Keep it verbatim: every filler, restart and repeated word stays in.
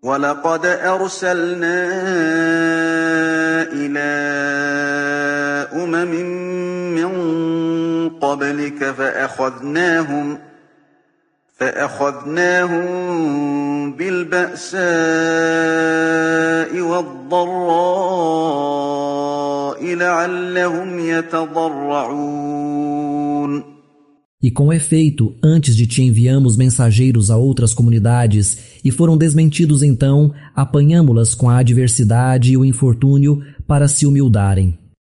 وَلَقَدْ أَرْسَلْنَا إِلَىٰ أُمَمٍ مِّن قَبْلِكَ فَأَخَذْنَاهُمْ فَأَخَذْنَاهُم بِالْبَأْسَاءِ وَالضَّرَّاءِ لَعَلَّهُمْ يَتَضَرَّعُونَ. E com efeito, antes de ti enviamos mensageiros a outras comunidades, e foram desmentidos então, apanhamo-las com a adversidade e o infortúnio para se humildarem.